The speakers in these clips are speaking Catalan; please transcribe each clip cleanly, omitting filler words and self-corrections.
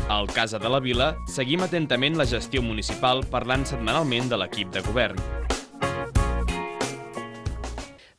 Al Casa de la Vila seguim atentament la gestió municipal parlant setmanalment de l'equip de govern.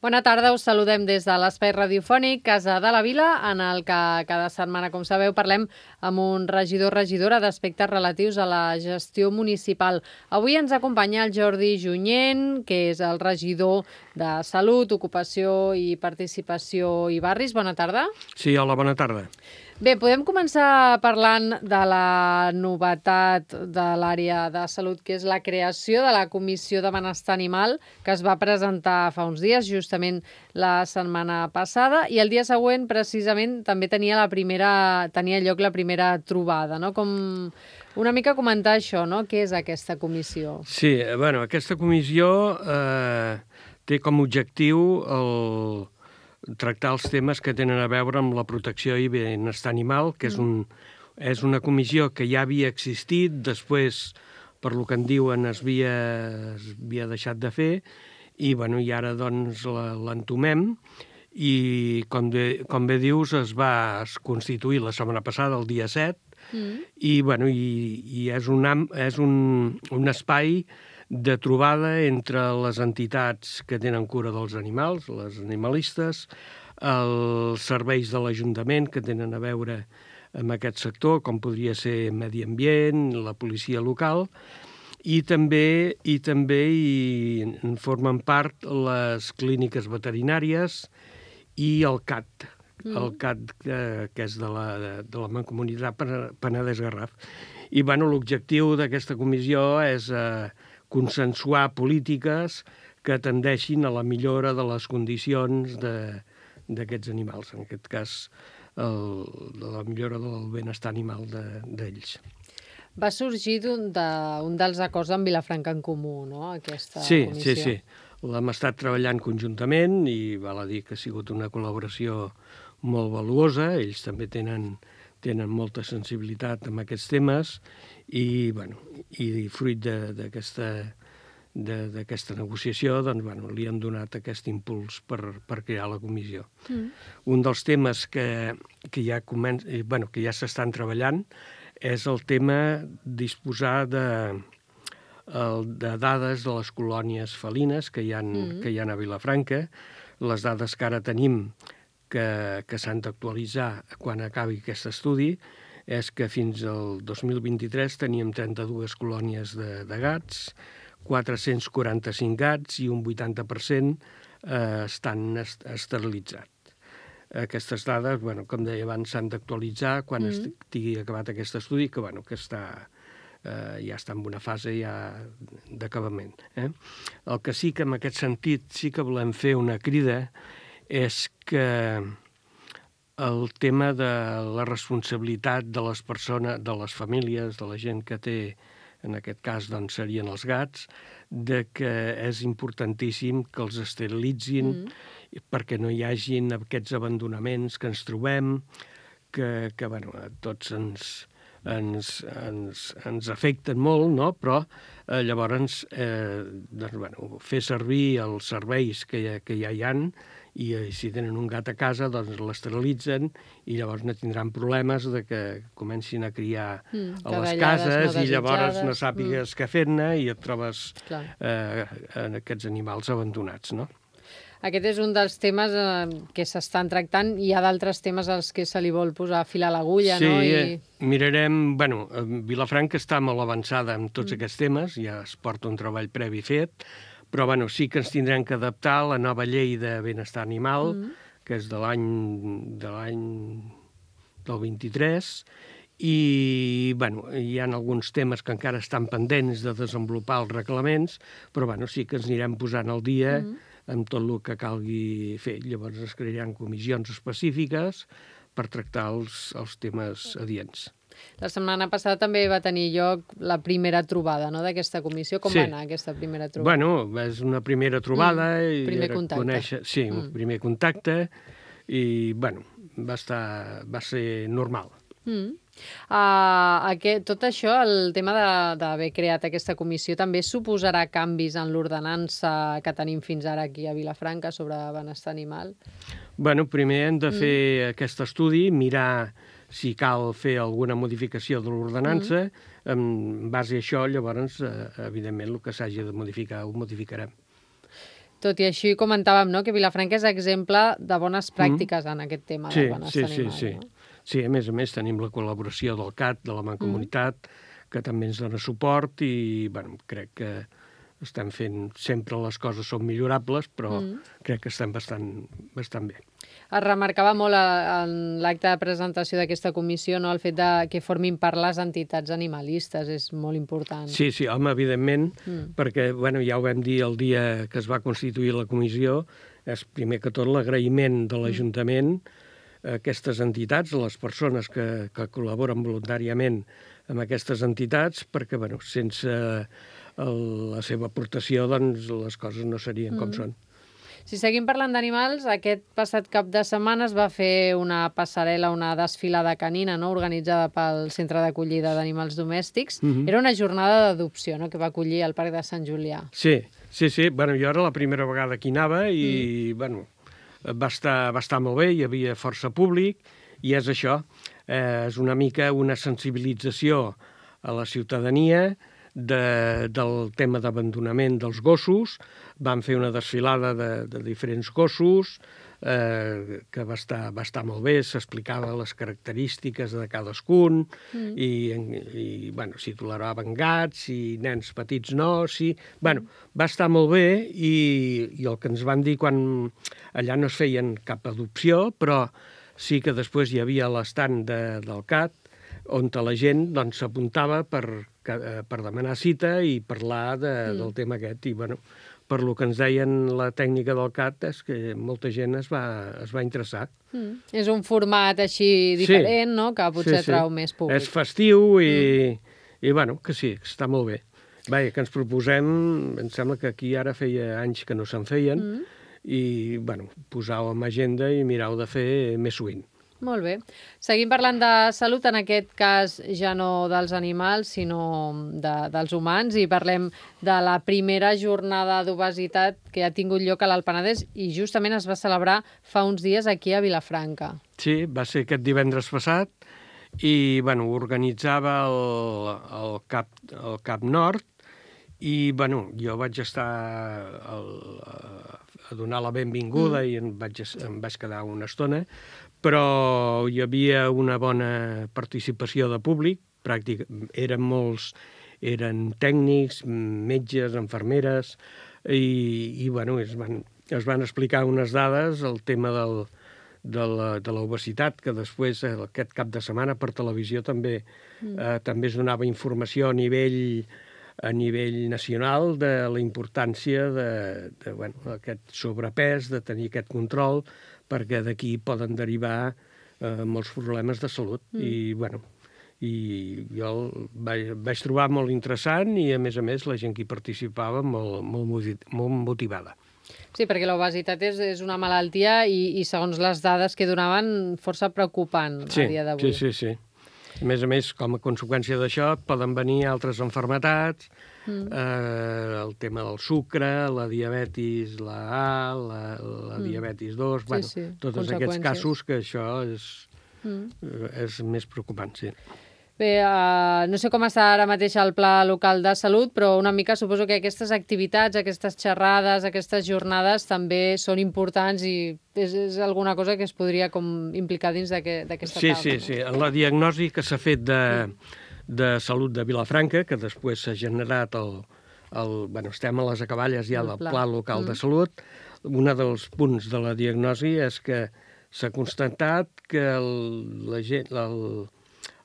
Bona tarda, us saludem des de l'espai radiofònic Casa de la Vila, en el que cada setmana, com sabeu, parlem amb un regidor o regidora d'aspectes relatius a la gestió municipal. Avui ens acompanya el Jordi Junyent, que és el regidor de Salut, Ocupació i Participació i Barris. Bona tarda. Sí, hola, bona tarda. Bé, podem començar parlant de la novetat de l'àrea de salut, que és la creació de la Comissió de Benestar Animal, que es va presentar fa uns dies, justament la setmana passada, i el dia següent, precisament, també tenia lloc la primera trobada, no? Com una mica comentar això, no? Què és aquesta comissió? Sí, bueno, aquesta comissió té com a objectiu tractar els temes que tenen a veure amb la protecció i benestar animal, que és una comissió que ja havia existit, després, per lo que en diuen, es havia deixat de fer, i ara doncs l'entomem, i com bé dius, es va constituir la setmana passada, el dia 7, i és un espai de trobada entre les entitats que tenen cura dels animals, les animalistes, els serveis de l'Ajuntament que tenen a veure amb aquest sector, com podria ser Medi Ambient, la policia local, i també en formen part les clíniques veterinàries i el CAT, que és de la Mancomunitat Penedès-Garraf. I l'objectiu d'aquesta comissió és consensuar polítiques que tendeixin a la millora de les condicions d'aquests animals, en aquest cas de la millora del benestar animal d'ells. Va sorgir d'un dels acords amb Vilafranca en Comú, no?, aquesta comissió. Sí. L'hem estat treballant conjuntament i val a dir que ha sigut una col·laboració molt valuosa. Ells també tenen molta sensibilitat amb aquests temes i fruit d'aquesta negociació li han donat aquest impuls per crear la comissió. Un dels temes que ja s'estan treballant és el tema disposar de dades de les colònies felines que hi ha a Vilafranca. Les dades que ara tenim que s'han d'actualitzar quan acabi aquest estudi és que fins al 2023 teníem 32 colònies de gats, 445 gats i un 80% estan esterilitzats. Aquestes dades, com deia abans, s'han d'actualitzar quan estigui acabat aquest estudi, que ja està en una fase d'acabament. El que sí que en aquest sentit sí que volem fer una crida és que el tema de la responsabilitat de les persones, de les famílies, de la gent que té, en aquest cas serien els gats, de que és importantíssim que els esterilitzin perquè no hi hagin aquests abandonaments que ens trobem, que a tots ens afecten molt, no? Però llavors fer servir els serveis que ja hi ha, i si tenen un gat a casa, doncs l'esterilitzen i llavors no tindran problemes de que comencin a criar a les cases i llavors no sàpigues què fer-ne i et trobes aquests animals abandonats, no? Aquest és un dels temes que s'estan tractant. Hi ha d'altres temes als que se li vol posar fil a l'agulla, no? Sí, mirarem... Vilafranca està molt avançada en tots aquests temes, ja es porta un treball previ fet, però sí que ens tindrem que adaptar a la nova llei de benestar animal, que és de l'any del 23, i hi ha alguns temes que encara estan pendents de desenvolupar els reglaments, però sí que ens anirem posant al dia amb tot el que calgui fer. Llavors es crearan comissions específiques per tractar els temes adients. La setmana passada també va tenir lloc la primera trobada, no?, d'aquesta comissió. Com va anar aquesta primera trobada? És una primera trobada. Primer contacte. Sí, un primer contacte i, va ser normal. Tot això, el tema d'haver creat aquesta comissió, també suposarà canvis en l'ordenança que tenim fins ara aquí a Vilafranca sobre benestar animal? Primer hem de fer aquest estudi, mirar si cal fer alguna modificació de l'ordenança, en base a això, llavors, evidentment, el que s'hagi de modificar ho modificarem. Tot i així comentàvem, no?, que Vilafranca és exemple de bones pràctiques en aquest tema del benestar animal. Sí. Sí, a més, tenim la col·laboració del CAT, de la Mancomunitat, que també ens dona suport i, bueno, crec que estem fent... Sempre les coses són millorables, però crec que estem bastant bé. Es remarcava molt en l'acte de presentació d'aquesta comissió, no?, el fet de que formin part les entitats animalistes, és molt important. Sí, home, evidentment, perquè, bueno, ja ho vam dir el dia que es va constituir la comissió, és primer que tot l'agraïment de l'Ajuntament a aquestes entitats, a les persones que col·laboren voluntàriament amb aquestes entitats, perquè, bueno, sense la seva aportació, doncs, les coses no serien com són. Si seguim parlant d'animals, aquest passat cap de setmana es va fer una passarel·la, una desfilada canina, no?, organitzada pel Centre d'Acollida d'Animals Domèstics. Era una jornada d'adopció, no?, que va acollir al Parc de Sant Julià. Sí. Bueno, jo era la primera vegada que hi anava i, bueno, va estar molt bé, hi havia força públic, i és això, és una mica una sensibilització a la ciutadania del tema d'abandonament dels gossos. Vam fer una desfilada de diferents gossos que va estar molt bé, s'explicava les característiques de cadascun i bueno, si toleraven gats, si nens petits no, si... Bueno, va estar molt bé i el que ens van dir quan allà no es feien cap adopció, però sí que després hi havia l'estand del CAT on la gent s'apuntava per demanar cita i parlar del tema aquest. I, bueno, per lo que ens deien la tècnica del CAT és que molta gent es va interessar. És un format així diferent, no?, que potser atrau més públic. És festiu i bueno, que sí, que està molt bé. Vaja, que ens proposem, em sembla que aquí ara feia anys que no se'n feien, i, bueno, posar-ho en agenda i mirar-ho de fer més sovint. Molt bé. Seguim parlant de salut, en aquest cas ja no dels animals, sinó dels humans, i parlem de la primera jornada d'obesitat que ha tingut lloc a l'Alt Penedès i justament es va celebrar fa uns dies aquí a Vilafranca. Sí, va ser aquest divendres passat i, bueno, organitzava el CAP Nord i, bueno, jo vaig estar a donar la benvinguda i em vaig quedar una estona, però hi havia una bona participació de públic, eren tècnics, metges, infermeres, i bueno, es van explicar unes dades, el tema de l'obesitat, que després, aquest cap de setmana, per televisió també es donava informació a nivell nacional de la importància d'aquest sobrepès, de tenir aquest control, perquè d'aquí poden derivar molts problemes de salut. I, bueno, jo el vaig trobar molt interessant i, a més, la gent que hi participava molt motivada. Sí, perquè l'obesitat és una malaltia i, segons les dades que donaven, força preocupant a dia d'avui. Sí. A més, com a conseqüència d'això, poden venir altres malalties, el tema del sucre, la diabetis, la A, la diabetis 2, tots aquests casos que això és més preocupant, sí. Bé, no sé com està ara mateix el Pla Local de Salut, però una mica suposo que aquestes activitats, aquestes xerrades, aquestes jornades també són importants i és alguna cosa que es podria com implicar dins d'aquesta taula. Sí. En la diagnosi que s'ha fet de salut de Vilafranca, que després s'ha generat estem a les acaballes ja del Pla Local de Salut, un dels punts de la diagnosi és que s'ha constatat que la gent...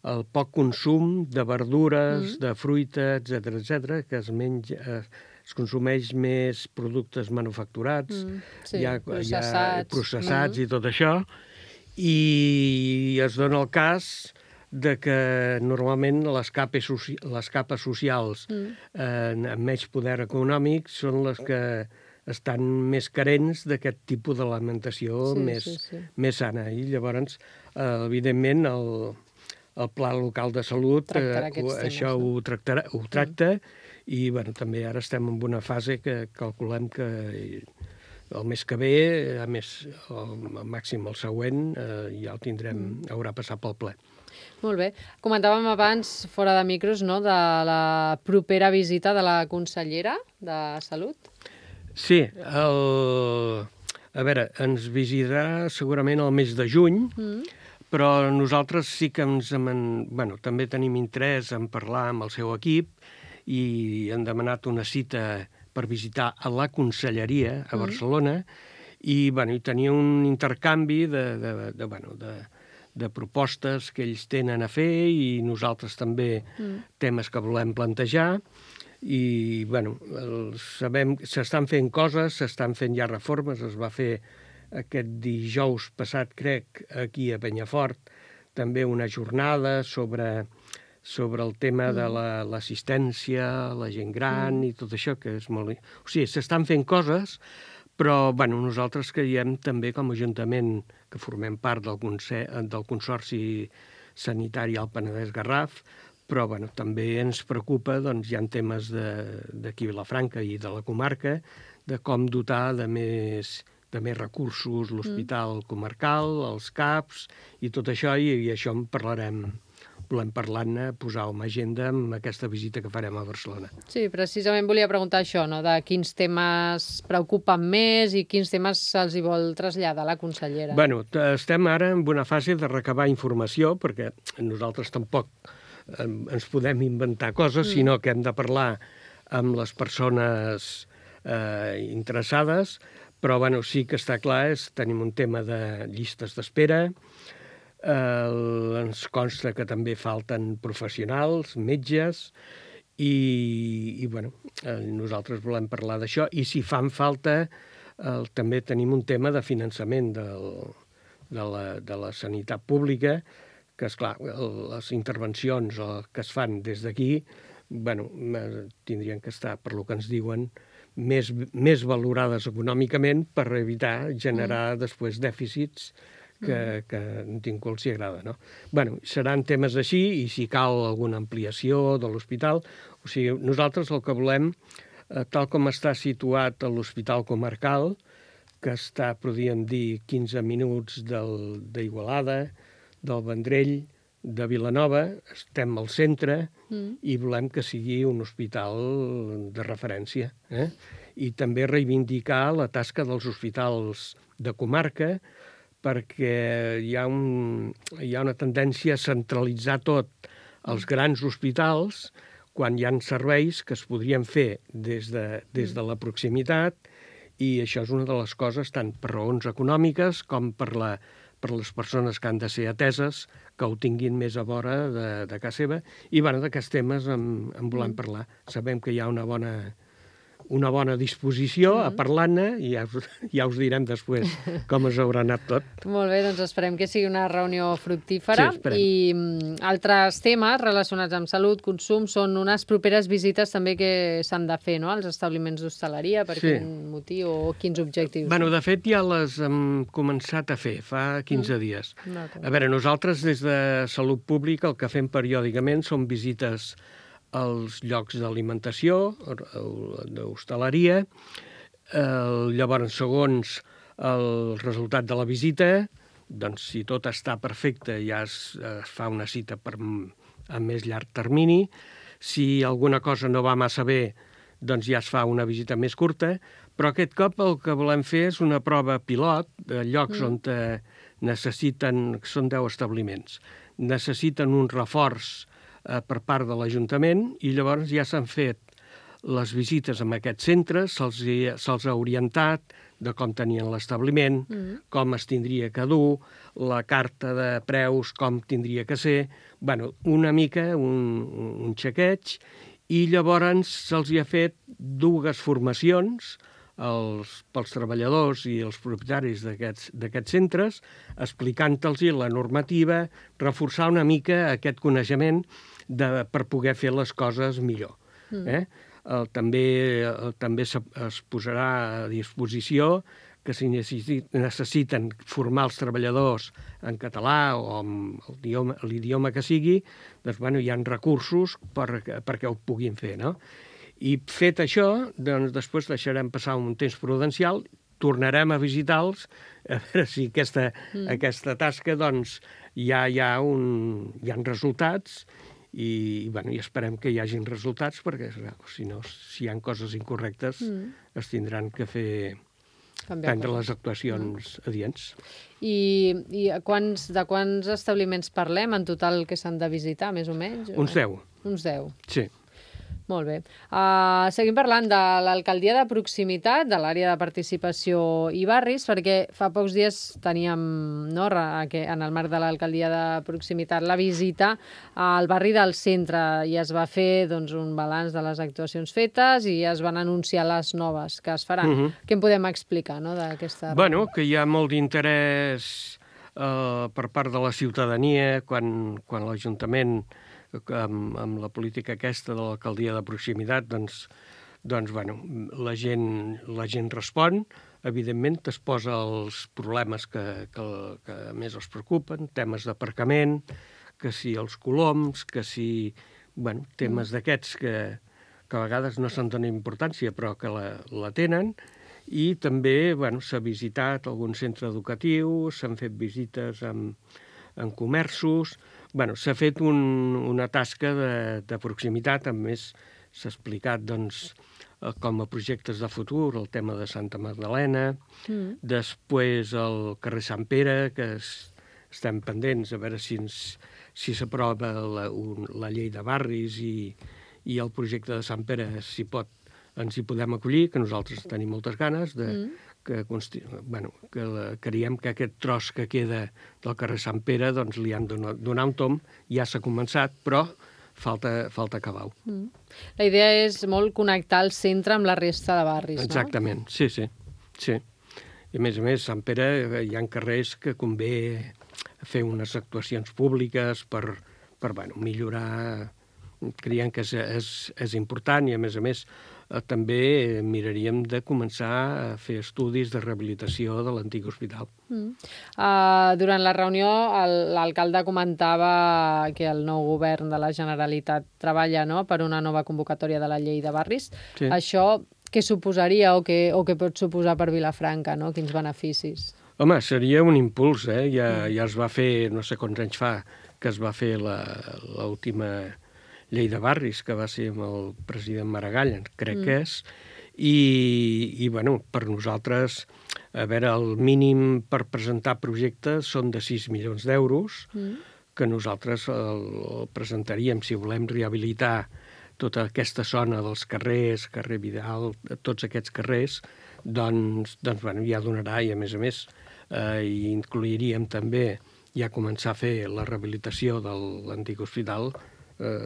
el poc consum de verdures, de fruita, etc., que es consumeix més productes manufacturats, processats i tot això, i es dona el cas de que normalment les capes socials amb menys poder econòmic són les que estan més carents d'aquest tipus d'alimentació més sana. I llavors, evidentment, el Pla Local de Salut això ho tracta i, bueno, també ara estem en una fase que calculem que el mes que ve, a més, al màxim el següent, ja el tindrem, haurà passat pel ple. Molt bé. Comentàvem abans, fora de micros, no?, de la propera visita de la consellera de Salut. Sí, a veure, ens visitarà segurament el mes de juny, però nosaltres sí que també tenim interès en parlar amb el seu equip i han demanat una cita per visitar a la conselleria a Barcelona i tenir un intercanvi de propostes que ells tenen a fer i nosaltres també temes que volem plantejar. I, sabem que s'estan fent coses, s'estan fent ja reformes, es va fer aquest dijous passat, crec, aquí a Penyafort, també una jornada sobre el tema de l'assistència, la gent gran i tot això, que és molt... O sigui, s'estan fent coses, però nosaltres creiem també com a Ajuntament, que formem part del Consorci Sanitari al Penedès-Garraf, però també ens preocupa, hi ha temes d'aquí a Vilafranca i de la comarca, de com dotar de més recursos l'hospital comarcal, els CAPs i tot això, i això en parlarem. Volem parlar-ne, posar-ho en agenda amb aquesta visita que farem a Barcelona. Sí, precisament volia preguntar això, no?, de quins temes preocupen més i quins temes se'ls hi vol traslladar la consellera. Estem ara en una fase de recabar informació, perquè nosaltres tampoc ens podem inventar coses, sinó que hem de parlar amb les persones interessades, però sí que està clar, tenim un tema de llistes d'espera, ens consta que també falten professionals, metges, i nosaltres volem parlar d'això, i si fan falta també tenim un tema de finançament de la sanitat pública, que, esclar, les intervencions que es fan des d'aquí tindrien que estar, per lo que ens diuen, més valorades econòmicament per evitar generar després dèficits que ningú els agrada, no? Seran temes així, i si cal alguna ampliació de l'hospital, o sigui, nosaltres el que volem, tal com està situat l'hospital comarcal, que està, podríem dir, 15 minuts d'Igualada, del Vendrell, de Vilanova, estem al centre i volem que sigui un hospital de referència. I també reivindicar la tasca dels hospitals de comarca, perquè hi ha una tendència a centralitzar tot als grans hospitals quan hi ha serveis que es podrien fer des de la proximitat, i això és una de les coses, tant per raons econòmiques com per les persones que han de ser ateses, que ho tinguin més a vora de casa seva. I d'aquests temes en volem parlar. Sabem que hi ha una bona disposició a parlar-ne, i ja us direm després com es haurà anat tot. Molt bé, doncs esperem que sigui una reunió fructífera. Sí, I altres temes relacionats amb salut, consum, són unes properes visites també que s'han de fer, no?, als establiments d'hostaleria, per quin motiu o quins objectius. De fet, ja les hem començat a fer fa 15 dies. A veure, nosaltres des de Salut Pública el que fem periòdicament són visites als llocs d'alimentació, d'hostaleria. Llavors, segons el resultat de la visita, doncs si tot està perfecte ja es fa una cita a més llarg termini. Si alguna cosa no va massa bé, doncs ja es fa una visita més curta, però aquest cop el que volem fer és una prova pilot de llocs on necessiten, són 10 establiments, necessiten un reforç per part de l'Ajuntament, i llavors ja s'han fet les visites en aquests centres, se'ls ha orientat de com tenien l'establiment, com es tindria que dur, la carta de preus, com tindria que ser, una mica un xequeig, i llavors se'ls ha fet 2 formacions pels treballadors i els propietaris d'aquests centres, explicant-los la normativa, reforçar una mica aquest coneixement per poder fer les coses millor. També es posarà a disposició que si necessiten formar els treballadors en català o amb l'idioma que sigui, doncs hi ha recursos perquè ho puguin fer, no? I fet això, doncs després deixarem passar un temps prudencial tornarem a visitar-los a veure si aquesta tasca doncs, hi ha resultats i esperem que hi hagin resultats perquè si no, si hi ha coses incorrectes es tindran que prendre les actuacions adients. I de quants establiments parlem en total que s'han de visitar, més o menys? Uns 10. Uns 10. Sí. Molt bé. Seguim parlant de l'alcaldia de proximitat, de l'àrea de participació i barris, perquè fa pocs dies teníem, no, en el marc de l'alcaldia de proximitat, la visita al barri del centre i es va fer doncs, un balanç de les actuacions fetes i es van anunciar les noves que es faran. Què en podem explicar, no, d'aquesta... Bueno, que hi ha molt d'interès per part de la ciutadania quan l'Ajuntament amb la política aquesta de l'alcaldia de proximitat, doncs bueno, la gent respon, evidentment es posa els problemes que més els preocupen, temes d'aparcament, que si els coloms, que si, bueno, temes d'aquests que a vegades no se'n dona importància, però que la tenen, i també, bueno, s'ha visitat algun centre educatiu, s'han fet visites en comerços. Bueno, s'ha fet una tasca de proximitat, a més s'ha explicat doncs, com a projectes de futur el tema de Santa Magdalena, després el carrer Sant Pere, que estem pendents a veure si s'aprova la llei de barris i el projecte de Sant Pere ens hi podem acollir, que nosaltres tenim moltes ganes que creiem que aquest tros que queda del carrer Sant Pere doncs li han de donar un tomb, ja s'ha començat, però falta acabar-ho. La idea és molt connectar el centre amb la resta de barris, no? Exactament, sí. I a més, Sant Pere hi ha carrers que convé fer unes actuacions públiques per millorar. Creiem que és important i, a més, també miraríem de començar a fer estudis de rehabilitació de l'antic hospital. Durant la reunió, l'alcalde comentava que el nou govern de la Generalitat treballa, no?, per una nova convocatòria de la llei de barris. Sí. Això què suposaria o què pot suposar per Vilafranca, no? Quins beneficis? Home, seria un impuls, Ja es va fer, no sé quants anys fa, que es va fer l'última llei de barris, que va ser amb el president Maragall, crec que és, i bueno, per nosaltres, a veure, el mínim per presentar projectes són de 6 milions d'euros, que nosaltres el presentaríem si volem rehabilitar tota aquesta zona dels carrers, carrer Vidal, tots aquests carrers, doncs bueno, ja donarà, i a més, hi incluiríem també ja començar a fer la rehabilitació de l'antic hospital,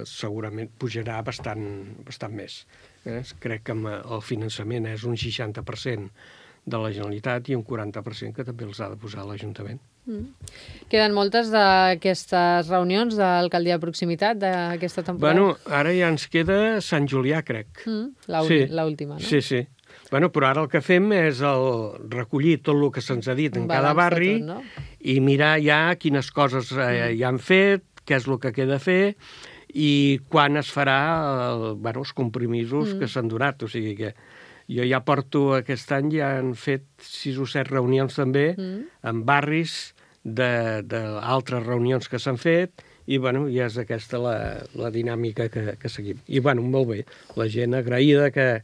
segurament pujarà bastant més. Crec que el finançament és un 60% de la Generalitat i un 40% que també els ha de posar l'Ajuntament. Queden moltes d'aquestes reunions d'alcaldia de proximitat d'aquesta temporada? Bueno, ara ja ens queda Sant Julià, crec. L'última, no? Sí. Bueno, però ara el que fem és recollir tot el que se'ns ha dit en cada barri i mirar ja quines coses ja han fet, què és el que queda a fer i quan es farà els compromisos que s'han donat. O sigui que jo ja porto aquest any, ja han fet 6 o 7 reunions també en barris d'altres reunions que s'han fet i bueno, ja és aquesta la dinàmica que seguim. I bueno, molt bé, la gent agraïda que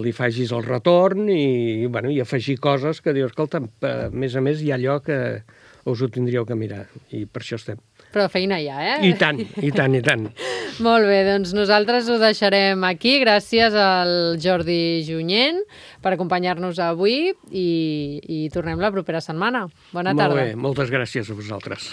li facis el retorn i afegir coses que dius, escolta, a més hi ha allò que us ho tindríeu que mirar i per això estem. Però feina hi ha, I tant. Molt bé, doncs nosaltres ho deixarem aquí. Gràcies al Jordi Junyent per acompanyar-nos avui i tornem la propera setmana. Bona tarda. Molt bé, moltes gràcies a vosaltres.